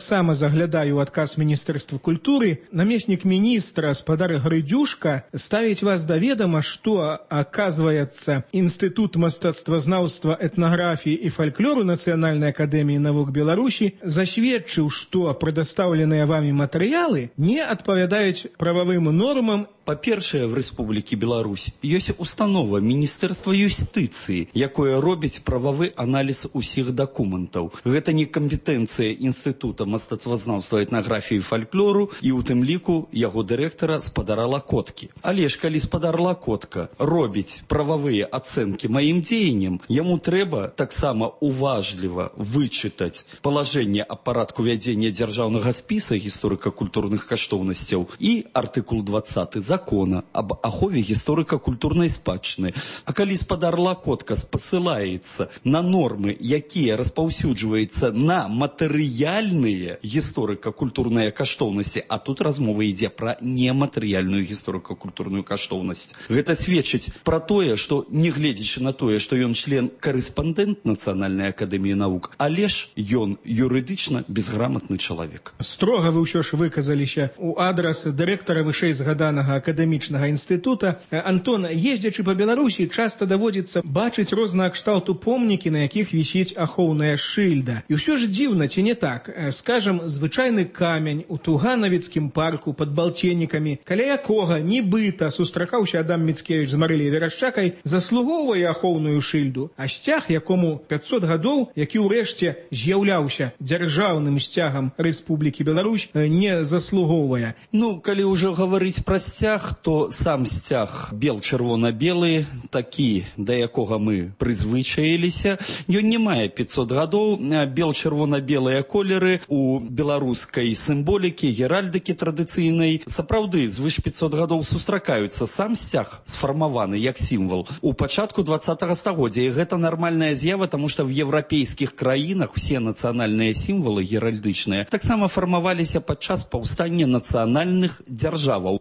таксама заглядаю ў адказ Міністэрства культуры. Намеснік міністра спадар Грыдзюшка ставіць вас да ведама, што, аказваецца, Інстытут мастацтвазнаўства, этнаграфіі і фальклору Нацыянальнай акадэміі навук Беларусі засведчыў, што прадастаўленыя вамі матэрыялы не адпавядаюць прававым нормам. Па-першае, в Рэспублікі Беларусь ёсць установа Міністэрства юстыцыі, якое робіць прававы аналіз усіх дакументаў. Гэта не кампетэнцыя Інстытута мастацтвазнаўства, этнаграфіі і фальклору і ў тым ліку яго дырэктара спадара Лакоткі. Але ж калі спадар Лакотка робіць прававыя ацэнкі маім дзеянням, яму трэба таксама уважліва вычытаць палажэнне аб парадку вядзення дзяржаўнага спіса гісторыка-культурных каштоўнасцяў і артыкул 20 закона об ахове гісторыка-культурнай спадчыны. А калі спадар Лакотка спасылаецца на нормы, якія распаўсюджваюцца на матэрыяльныя гісторыка-культурныя каштоўнасці, а тут размова ідзе пра нематэрыяльную гісторыка-культурную каштоўнасць. Гэта сведчыць пра тое, што, негледзячы на тое, што ён член-карэспандэнт Нацыянальнай акадэміі навук, але ж ён юрыдычна безграмотны чалавек. Строга вы ўсё ж выказаліся ў адрас дырэктара вышэйзгаданага акадэмічнага інстытута. Антон, ездзячы па Беларусі, часта даводзіцца бачыць рознага кшталту помнікі, на якіх вісіць ахоўная шыльда. І ўсё ж дзіўна, ці не так? Скажам, звычайны камень у Туганавіцкім парку пад Балценнікамі, каля якога нібыта сустракаўся Адам Міцкевіч з Марыляй Верашчакай, заслугоўвае ахоўную шыльду, а сцяг, якому 500 гадоў, які ўрэшце з'яўляўся дзяржаўным сцягам Рэспублікі Беларусь, не заслугоўвае. Ну, калі ўжо гаварыць пра сцяг, то сам сцяг бел-чырвона-белы, такі, да якога мы прызвычаіліся, ён не мае 500 гадоў. Бел-чырвона-белыя колеры у беларускай сімволікі, геральдыкі традыцыйнай сапраўды звыш 500 гадоў сустракаюцца. Сам сцяг сфармаваны як сімвал у пачатку 20-го стагоддзя, і гэта нармальная з'ява, таму што в еўрапейскіх краінах усе нацыянальныя сімвалы геральдычныя таксама фармаваліся падчас паўстання нацыянальных дзяржаваў.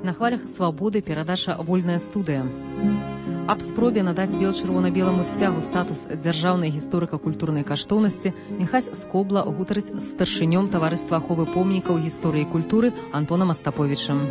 На хвалях свабоды перадача «Вольная студыя». Аб спробе надаць бел-чырвона-беламу сцягу статус дзяржаўнай гісторыка-культурнай каштоўнасці Міхась Скобла гутарыць з старшынём таварыства аховы помнікаў гісторыі і культуры Антонам Астаповічам.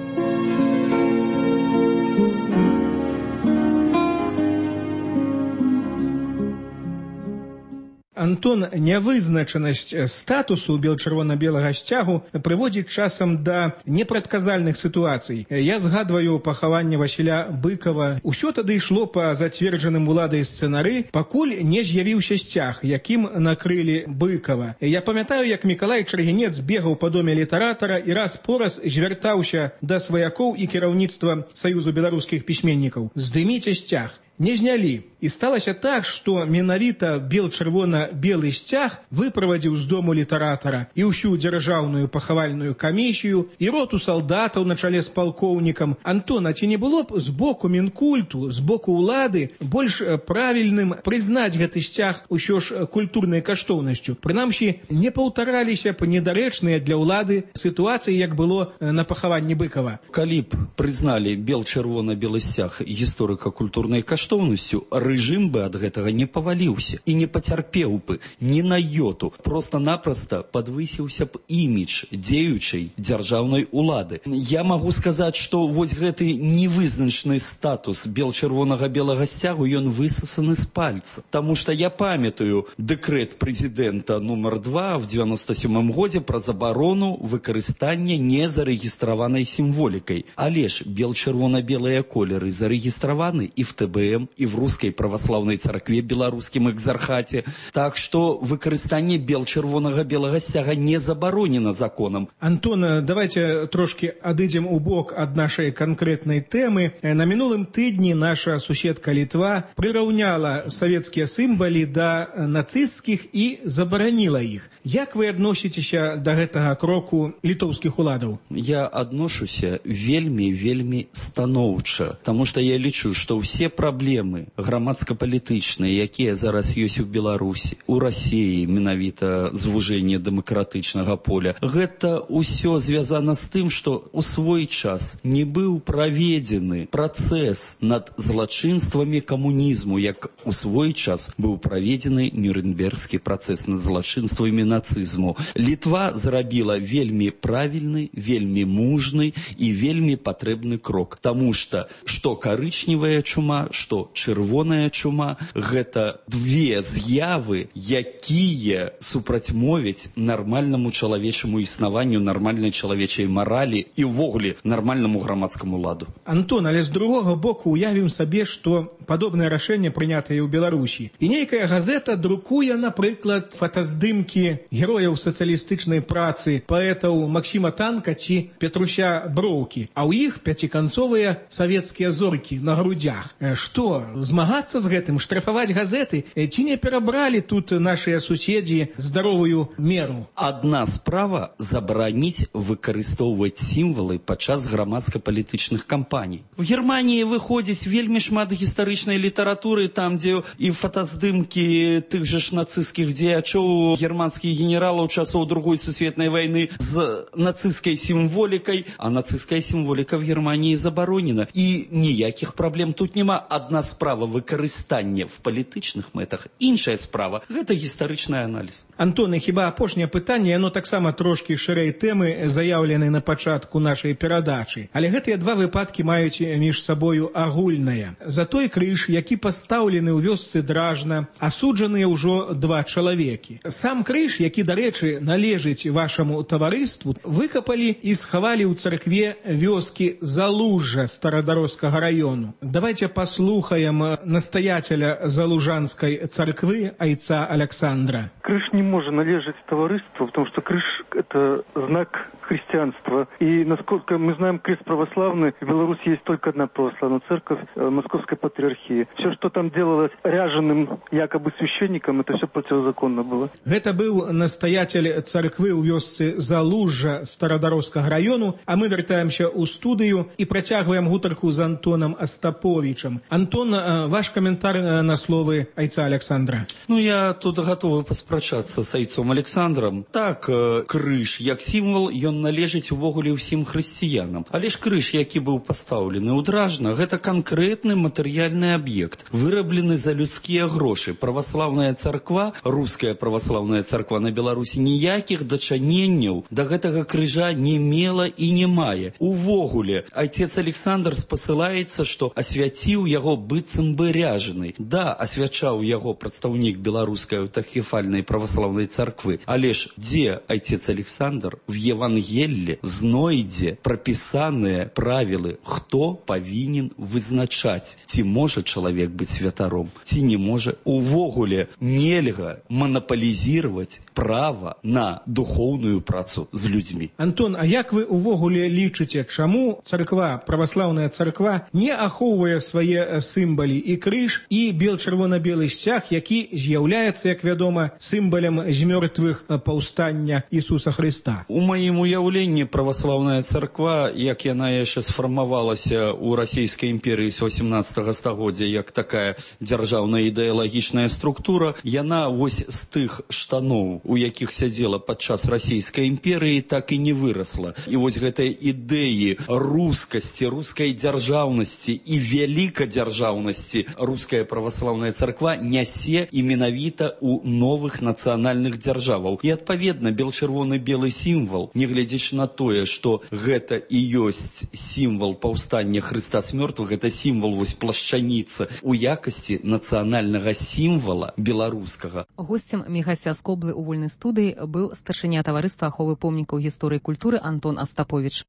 Антон, нявызначанасць статусу бел-чырвона-белага сцягу прыводзіць часам да непрадказальных сітуацый. Я згадваю пахаванне Васіля Быкова. Усё тады ішло па зацверджаным уладай сцэнары, пакуль не з'явіўся сцяг, якім накрылі Быкова. Я памятаю, як Мікалай Чаргінец бегаў па доме літаратара і раз-пораз звяртаўся да сваякоў і кіраўніцтва Саюзу беларускіх пісьменнікаў: здыміце сцяг. Не знялі. І сталася так, што менавіта бел-чырвона-белы сцяг выправадзіў з дому літаратара і ўсю дзяржаўную пахавальную камісію, і роту салдатаў на чале з палкоўнікам. Антон, а ці не было б з боку Мінкульту, з боку ўлады больш правільным прызнаць гэты сцяг усё ж культурнай каштоўнасцю? Прынамсі, не паўтараліся б недарэчныя для ўлады сітуацыі, як было на пахаванні Быкова. Калі б прызналі бел-чырвона-белы сцяг гісторыка-культурнай каштоўнасцю, рэжым бы ад гэтага не паваліўся і не пацярпеў бы ні на йоту. Проста-напроста падвысіўся б імідж дзеючай дзяржаўнай улады. Я магу сказаць, што вось гэты невызначаны статус бел-чырвонага-белага сцягу, ён высасаны з пальца. Таму што я памятаю дэкрэт прэзідэнта нумар 2 в 97 годзе пра забарону выкарыстання незарэгістраванай сімволікай. Але ж бел-чырвона-белыя колеры зарэгістраваны і в ТБМ, і в рускай праваслаўнай царкве беларускім экзархаце. Так што выкарыстанне бел-чырвонага-белага сцяга не забаронена законам. Антон, давайте трошки адыдзем у бок ад нашай канкрэтнай тэмы. На мінулым тыдні наша суседка Літва прыраўняла савецкія сімвалы да нацысцкіх і забараніла іх. Як вы адносіцеся да гэтага кроку літоўскіх уладаў? Я адношуся вельмі станоўча, таму што я лічу, што ўсе праблемы праблемы грамадска-палітычныя, якія зараз ёсць у Беларусі, у Расіі, менавіта звужэнне дэмакратычнага поля, гэта ўсё звязана з тым, што ў свой час не быў праведзены працэс над злачынствамі камунізму, як у свой час быў праведзены Нюрнбергскі працэс над злачынствамі нацызму. Літва зрабіла вельмі правільны, вельмі мужны і вельмі патрэбны крок, таму што карычневая чума, што чырвоная чума – гэта две з'явы, якія супрацьмовяць нармальнаму чалавечаму існаванню, нармальнай чалавечай маралі і ўвогуле нармальнаму грамадскаму ладу. Антон, але з другога боку уявім сабе, што падобнае рашэнне прынятае ў Беларусі. І нейкая газета друкуе, напрыклад, фотаздымкі герояў сацыялістычнай працы, паэтаў Максіма Танка ці Петруся Броўкі, а ў іх пяціканцовыя савецкія зоркі на грудях. Што, змагацца з гэтым, штрафаваць газеты? Ці не перабралі тут нашыя суседзі здаровую меру? Адна справа забараніць выкарыстоўваць сімвалы падчас грамадска-палітычных кампаній. У Германіі выходзіць вельмі шмат гістарычнай літаратуры, там, дзе і фотаздымкі тых жа ж нацысцкіх дзеячоў, германскіх генералаў часоў Другой сусветнай вайны з нацысцкай сімволікай, а нацысцкая сімволіка в Германії забаронена. І ніякіх праблем тут няма. Адна справа выкарыстання в палітычных мэтах, іншая справа – гэта гістарычны аналіз. Антон, і хіба апошняе пытанне, яно таксама трошкі шырэй тэмы, заяўлены на пачатку нашай перадачы. Але гэтыя два выпадкі маюць між сабою агульнае. За той крыж, які пастаўлены ў вёсцы Дражна, асуджаныя ўжо 2 чалавекі. Сам крыж, які, дарэчы, належыць вашаму таварыству, выкапалі і схавалі ў царкве вёскі Залужжа Старадарожскага раёну. Давайте послухаем настоятеля Залужанской церкви айца Александра. Крыж не может належать товариству, потому что крыж – это знак христианства. И, насколько мы знаем, крест православный, в Беларуси есть только одна православная церковь – Московской патриархии. Все, что там делалось ряженым якобы священником, это все противозаконно было. Это был настоятель церкви у вёсцы Залужжа Старадарожскага району, а мы вертаемся у студию и протягиваем гутарку с Антоном Остаповичем. Антон, ваш комментарий на словы айца Александра. Я тут готовы паспрачацца с айцом Александром. Так, крыж, як сімвал, ён належыць увогуле ўсім хрысціянам. Але ж крыж, які быў пастаўлены ў Дражна, гэта канкрэтны матэрыяльны аб'ект, выраблены за людскія грошы. Праваслаўная царква, руская праваслаўная царква на Беларусі ніякіх дачыненняў да гэтага крыжа не мела і не мае. Увогуле, айцец Александр спасылаецца, што асвяціў яго быццам бы ряжены. Да, асвячаў яго прадстаўнік беларускай аўтакефальнай праваслаўнай царквы. Але ж дзе айцец Александр в Евангелле знойдзе прапісаныя правілы, хто павінен вызначаць, ці можа чалавек быць святаром, ці не можа. Увогуле нельга манаполізировать права на духоўную працу з людзьмі. Антон, а як вы увогуле лічыце, чаму царква, праваслаўная царква не ахоўвае свае сімвалы і крыж, і бел-чырвона-белы сцяг, які з'яўляецца, як вядома, сімвалем змёртвых паўстання Ісуса Христа? У маім уяўленні праваслаўная царква, як яна яшчэ сфармавалася ў расійскай імперыі з 18 стагоддзя, як такая дзяржаўная ідэалагічная структура, яна вось з тых штаноў, у якіх сядзела падчас расійскай імперыі, так і не вырасла. І вось гэтыя ідэі рускасці, рускай дзяржаўнасці і вялікадзяржаўнасці руская праваслаўная царква нясе і менавіта ў новых нацыянальных дзяржаваў. І адпаведна, бел-чырвоны-белы сімвал, нягледзячы на тое, што гэта і ёсць сімвал паўстання Хрыста з мёртвых, гэта сімвал вось плашчаніцы у якасці нацыянальнага сімвала беларускага. Госцем Міхася Скоблы ў вольнай студыі быў старшыня таварыства аховы помнікаў гісторыі і культуры Антон Остапович.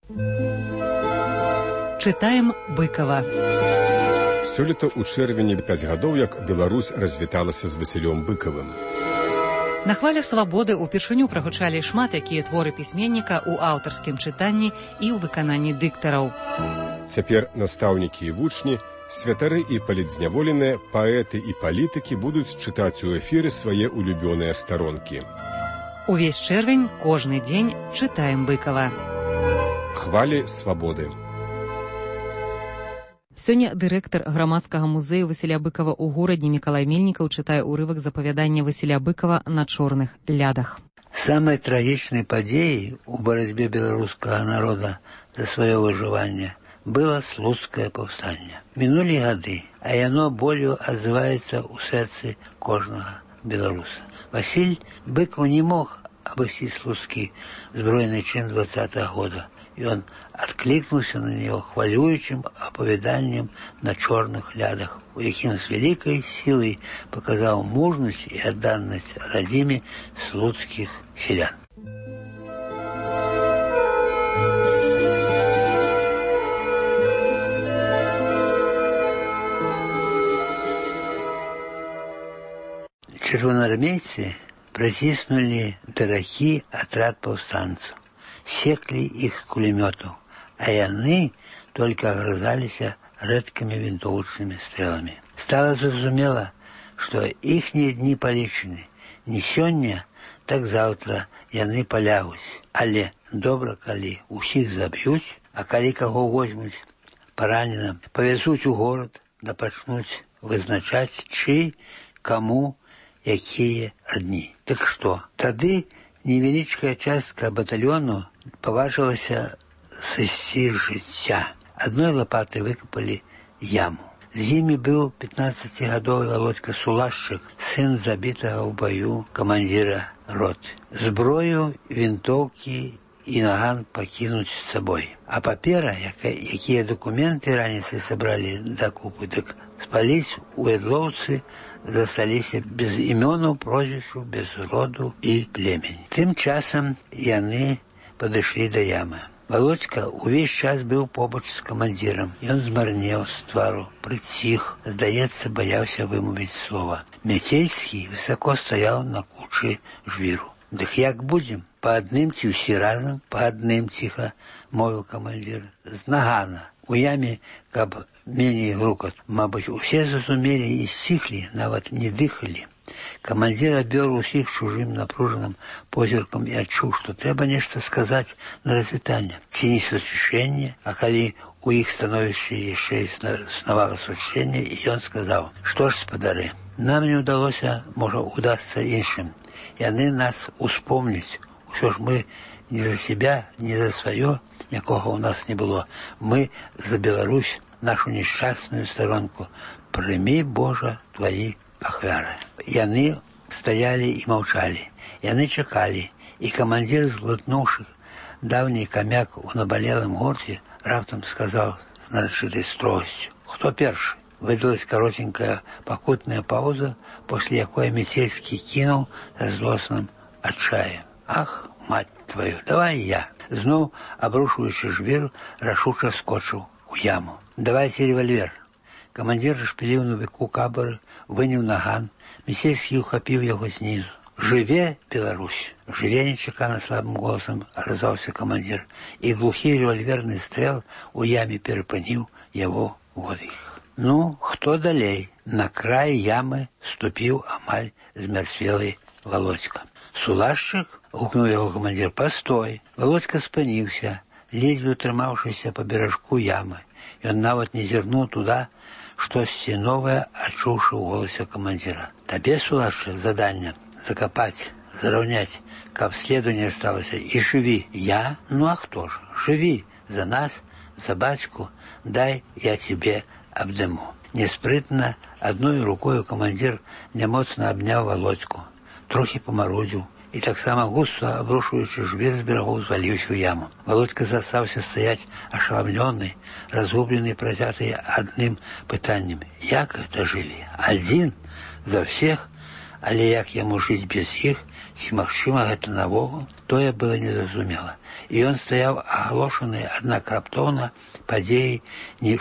Чытаем Быкова. Сёлета ў чэрвені 5 гадоў, як Беларусь развіталася з Васілём Быкавым. На хвалях свабоды ўпершыню прагучалі шмат якія творы пісьменніка ў аўтарскім чытанні і ў выкананні дыктараў. Цяпер настаўнікі і вучні, святары і палітзняволеныя, паэты і палітыкі будуць чытаць у эфіры свае улюбёныя старонкі. Увесь чэрвень, кожны дзень чытаем Быкава. Хвалі свабоды. Сёння дырэктар грамадскага музею Васіля Быкава ў горадні Мікалай Мельнікаў чытае ўрывак з апавядання Васіля Быкава «На чорных лядах». Самой трагичной подеей у борьбе белорусского народа за свое выживание было Слуцкое повстание. Минули годы, а оно болью отзывается у сердца кожного белоруса. Василь Быков не мог обойти Слуцкий збройный чин 20-го года, и он откликнулся на него хвалюючим оповеданием на черных лядах, у яким с великой силой показал мужность и отданность родиме слуцких селян. Червоноармейцы протиснули дороги отряд повстанцев, секли их с кулеметов, а яны только огрызались редкими винтовочными стрелами. Стало зразумело, что ихние дни полечены. Не сёння, так завтра яны полягуць. Але добра, калі усіх заб'юць, а калі каго возьмуць параненым, повезуць у город, да пачнуць вызначаць, чый, каму, якія дні. Так што, тады невеличкая частка батальону поважилася сысці з жыцця. Одной лопатой выкопали яму. З імі быў 15-гадовы Володька Сулашчык, сын забітага ў бою камандзіра роты. Зброю, вінтоўкі і наган пакінуць з сабой. А папера, якія документы раніцай сабралі дакупы, дык спаліць у Эдлоўцы засталіся без імёнаў, прозвішчаў, без роду і племені. Тым часам яны падышлі да ямы. Володька увесь час быў побач з камандзірам. Ён змарнеў з твару, прыціх, здаецца, баяўся вымовіць слова. Мяцельскі высоко стаяў на кучы жвіру. Дык як будзем? Па адным ці ўсі разам? Па адным, ціха мовіў камандзір. З нагана. У яме, каб меней грукат. Мабыць, усе зразумелі і сціхлі, нават не дыхалі. Камандзір абвёр усіх чужым напружаным позіркам і адчуў, што трэба нешта сказаць на развітанне. Ці не сусвішэнне, а калі у іх становішча яшчэ існавала сусвішэнне, і ён сказаў: «Што ж, спадары, нам не ўдалося, можа, удасца іншым. Яны нас успомняць. Усё ж мы не за себя, не за сваё, якога ў нас не было. Мы за Беларусь, нашу несчастную сторонку. Прыми, Божа, твои ахвяры». Яны стаялі і маўчалі. Яны чакалі, і камандзір, зглытнуўшы даўні камяк у набалелым горце, раптам сказаў з нарачытай строгасцю: «Хто першы?» Выдалась коротенькая покутная пауза, после якой Мицельский кинул со злостным отчаем: «Ах, мать твою, давай я!» Знов, обрушиваючи жвір, рашуче скочив у яму. «Давайте револьвер!» Командир шпілів на віку кабери, виняв наган. Міцельський ухопив його знизу. «Живе, Беларусь! Живе!» нечекано слабым голосом отозвался командир, и глухий револьверный стрел у яме перепынил его водых. «Ну, хто далей?» На край ямы ступил амаль змерцвелый Володька. «Сулашчык?» — гукнул его командир. «Постой!» Володька спынился, ледзьве утрымаўшыся по бережку ямы. Ён нават не зірнуў туда, штосьці новае адчуўшы ў голасе камандзіра. «Табе, Сулашчык, заданне закопать, зараўняць, каб следу не осталося, и живи!» «Я? Ну а кто же? Живи! За нас, за батьку, дай я тебе обдыму». Неспрытно, одной рукой командир немоцно обняв Володьку, трохи помарудзіў, и так само густо обрушиваючи жвір з берегов звалился в яму. Володька застался стоять ошеломленный, разгубленный, протятый одним пытанием. Як это жили? Один? За всех? Але як яму жить без іх? Ці магчыма гэта навогул? Тое было незразумела. И он стоял оглошенный, однако раптоўна падеей,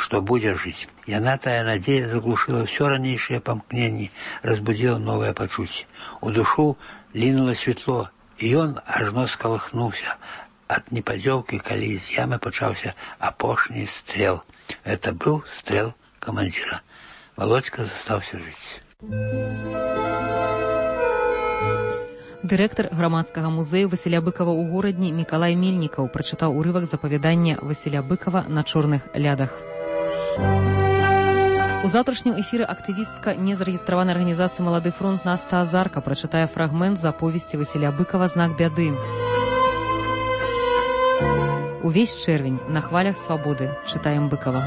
что будет жить. Яна тая надея заглушила все ранейшее помкнение, разбудила новое почуття. У душу лінуло светло, и он ажно сколыхнулся от неподзелки, калі из ямы пачаўся апошні стрел. Это был стрел командира. Володька застаўся жить. Дырэктар грамадскага музею Васіля Быкава ў горадні Мікалай Мельнікаў прачытаў урывак з апавядання Васіля Быкава «На чорных лядах». У заўтрашнім эфіры актывістка незарэгістраванай арганізацыі «Малады фронт» Наста Азарка прачытае фрагмент з аповесці Васіля Быкава «Знак бяды». Увесь чэрвень на хвалях свабоды чытаем Быкава.